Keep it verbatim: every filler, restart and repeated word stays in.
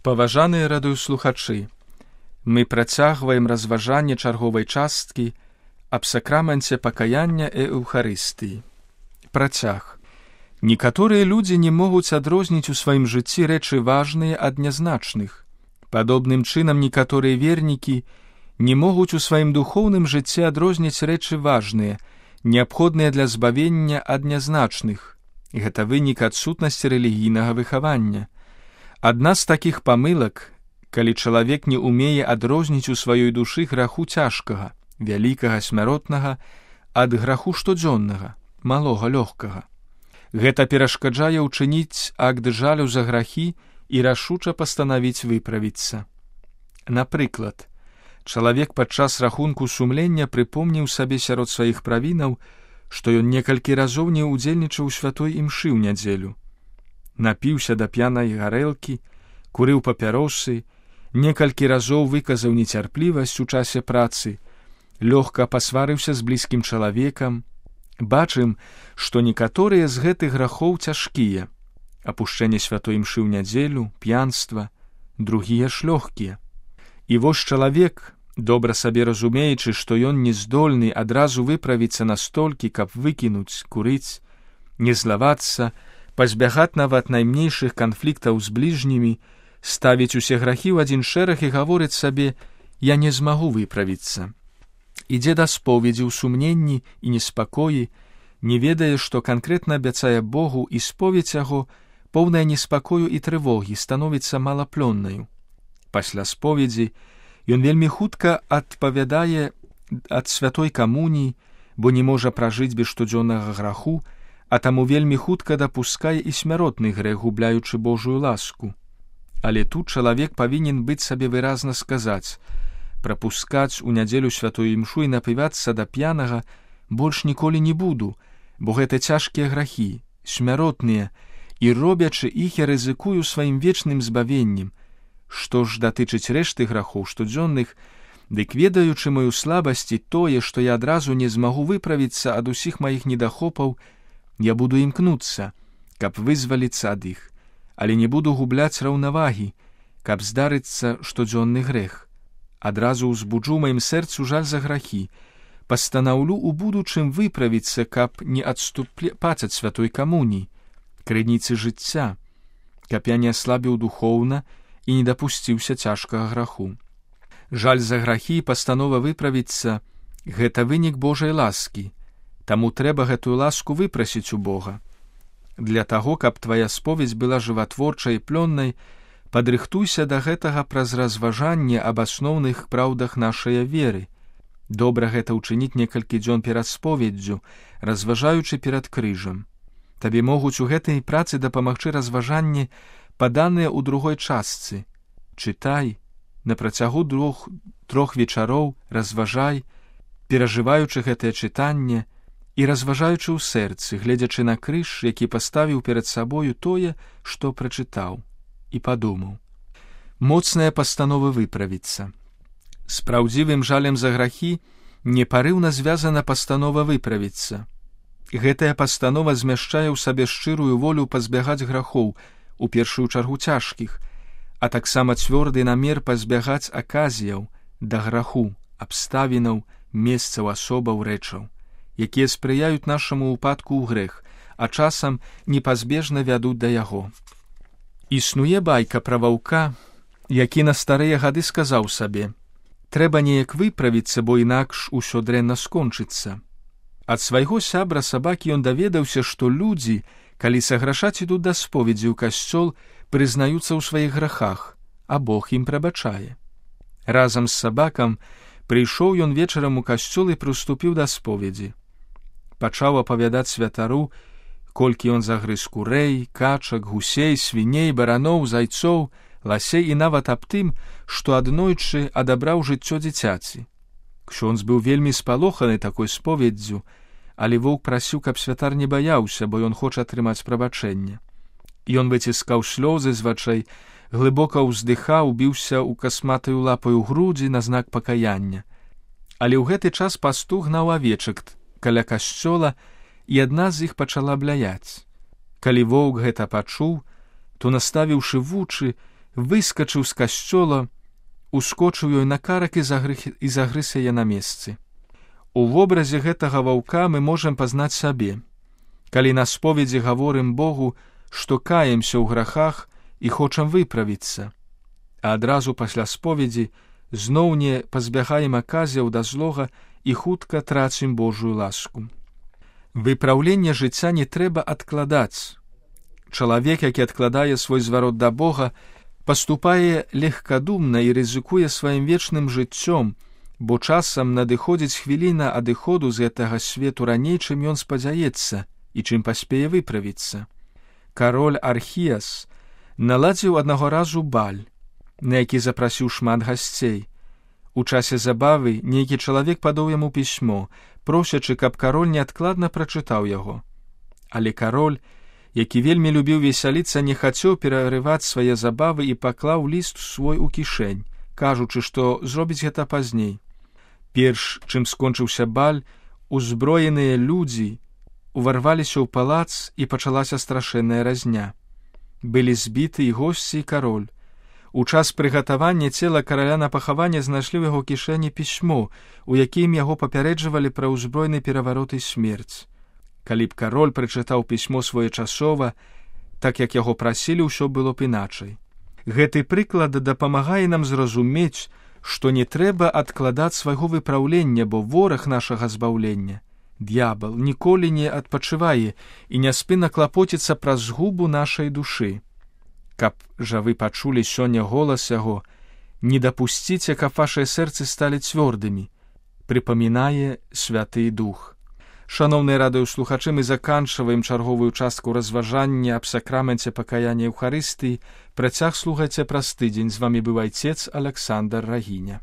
Паважаныя радыёслухачы, мы працягваем разважанне чарговай часткі аб сакраменце пакаяння і эўхарыстыі. Працяг. Некаторыя людзі не могуць адрозніць у сваім жыцці рэчы важныя ад нязначных. Падобным чынам некаторыя вернікі не могуць у сваім духоўным жыцці адрозніць рэчы важныя, неабходныя для збавення ад нязначных. Гэта вынік адсутнасці рэлігійнага выхавання. Адна з такіх памылак, калі чалавек не ўмее адрозніць у сваёй душы граху цяжкага, вялікага, смяротнага, ад граху штодзённага, малога, лёгкага. Гэта перашкаджае ўчыніць акт жалю за грахі і рашуча пастанавіць выправіцца. Напрыклад, чалавек падчас рахунку сумлення прыпомніў сабе сярод сваіх правінаў, што ён некалькі разоў не ўдзельнічаў у святой імшы ў нядзелю. Напіўся да п'янай гарэлкі, курыў папяросы, некалькі разоў выказаў нецярплівасць у часе працы, лёгка пасварыўся з блізкім чалавекам. Бачым, што некаторыя з гэтых грахоў цяжкія: апушчэнне святой імшы ў нядзелю, п'янства, другія ж лёгкія. І вось чалавек, добра сабе разумеючы, што ён не здольны адразу выправіцца настолькі, каб выкінуць, курыць, не злавацца, пазбягаць нават найменшых канфліктаў з бліжнімі, ставіць усе грахі ў адзін шэраг і гаворыць сабе: «Я не змагу выправіцца». Ідзе да споведзі ў сумненні і неспакоі, не ведае, што канкрэтна абяцае Богу, і споведзь яго, поўная неспакою і трывогі, становіцца малаплённаю. Пасля споведзі ён вельмі хутка адпавядае ад святой камуніі, бо не можа пражыць без штодзённага граху, а таму вельмі хутка дапускае і смяротны грэх, губляючы Божую ласку. Але тут чалавек павінен быць сабе выразна сказаць: прапускаць у нядзелю святую імшу і напівацца да п'янага больш ніколі не буду, бо гэта цяжкія грахі, смяротныя, і робячы іх я рызыкую сваім вечным збавеннем. Што ж датычыць рэшты грахоў штодзённых, дык ведаючы маю слабасць і тое, што я адразу не змагу выправіцца ад усіх маіх недахопаў, я буду імкнуцца, каб вызваліцца ад іх, але не буду губляць раўнавагі, каб здарыцца штодзённы грэх. Адразу ўзбуджу маім сэрцу жаль за грахі, пастанаўлю ў будучым выправіцца, каб не адступаць ад святой камуніі, крыніцы жыцця, каб я не аслабіў духоўна і не дапусціўся цяжкага граху. Жаль за грахі і пастанова выправіцца — гэта вынік Божай ласкі, таму трэба гэтую ласку выпрасіць у Бога. Для таго, каб твая споведзь была жыватворчай і плённай, падрыхтуйся да гэтага праз разважанне аб асноўных праўдах нашай веры. Добра гэта ўчыніць некалькі дзён перад споведдзю, разважаючы перад крыжам. Табе могуць у гэтай працы дапамагчы разважанні, паданыя ў другой частцы. Чытай, на працягу двух, трох вечароў разважай, перажываючы гэтае чытанне і разважаючы ў сэрцы, гледзячы на крыж, які паставіў перад сабою тое, што прачытаў, і падумаў. Моцная пастанова выправіцца. З праўдзівым жалем за грахі непарыўна звязана пастанова выправіцца. Гэтая пастанова змяшчае ў сабе шчырую волю пазбягаць грахоў, у першую чаргу цяжкіх, а таксама цвёрды намер пазбягаць аказіяў да граху, абставінаў, месцаў, асобаў, рэчаў, якія спрыяюць нашаму ўпадку ў грэх, а часам непазбежна вядуць да яго. Існуе байка пра ваўка, які на старыя гады сказаў сабе: «Трэба неяк выправіцца, бо інакш усё дрэнна скончыцца». Ад свайго сябра сабакі ён даведаўся, што людзі, калі саграшаць ідуць да споведзі ў касцёл, прызнаюцца ў сваіх грахах, а Бог ім прабачае. Разам з сабакам прыйшоў ён вечарам у касцёл і прыступіў да споведзі. Пачаў апавядаць святару, колькі ён загрыз курэй, качак, гусей, свіней, бараноў, зайцоў, ласей і нават аб тым, што аднойчы адабраў жыццё дзіцяці. Ксёндз быў вельмі спалоханы такой споведдзю, але воўк прасіў, каб святар не баяўся, бо ён хоча атрымаць прабачэнне. Ён выціскаў слёзы з вачэй, глыбока ўздыхаў, біўся ў касматаю лапаю грудзі на знак пакаяння. Але ў гэты час пастух гнаў авечак каля касцёла, і адна з іх пачала бляяць. Калі воўк гэта пачуў, то, наставіўшы вучы, выскачыў з касцёла, ускочыў ёй на карак і загрыз яе на месцы. У вобразе гэтага ваўка мы можам пазнаць сабе. Калі на споведзі гаворым Богу, што каемся ў грахах і хочам выправіцца, а адразу пасля споведзі зноў не пазбягаем аказіяў да злога і хутка трацім Божую ласку. Выпраўленне жыцця не трэба адкладаць. Чалавек, які адкладае свой зварот да Бога, паступае легкадумна і рызыкуе сваім вечным жыццём, бо часам надыходзіць хвіліна адыходу з гэтага свету раней, чым ён спадзяецца і чым паспее выправіцца. Кароль Архіяс наладзіў аднаго разу баль, на які запрасіў шмат гасцей. У часе забавы нейкі чалавек падаў яму пісьмо, просячы, каб кароль неадкладна прачытаў яго. Але кароль, які вельмі любіў весяліцца, не хацеў перарываць свае забавы і паклаў ліст свой у кішэнь, кажучы, што зробіць гэта пазней. Перш чым скончыўся баль, узброеныя людзі уварваліся ў палац і пачалася страшэнная разня. Былі збіты і госці, і кароль. У час прыгатавання цела караля на пахаванне знайшлі ў яго кішэні пісьмо, у якім яго папярэджвалі пра ўзброены пераварот і смерць. Калі б кароль прачытаў пісьмо своечасова, так як яго прасілі, ўсё было б іначай. Гэты прыклад дапамагае нам зразумець, што не трэба адкладаць свайго выпраўлення, бо вораг нашага збаўлення, д'ябал, ніколі не адпачывае і няспынна клапоціцца пра згубу нашай душы. Каб жа вы пачулі сёння голас яго, не дапусціце, каб вашыя сэрцы сталі цвёрдымі, прыпамінае Святы Дух. Шаноўныя радыёслухачы, мы заканчваем чарговую частку разважання аб сакраменце пакаяння Еўхарыстыі. Працяг слухайце праз тыдзень. З вамі быў айцец Аляксандр Рагіня.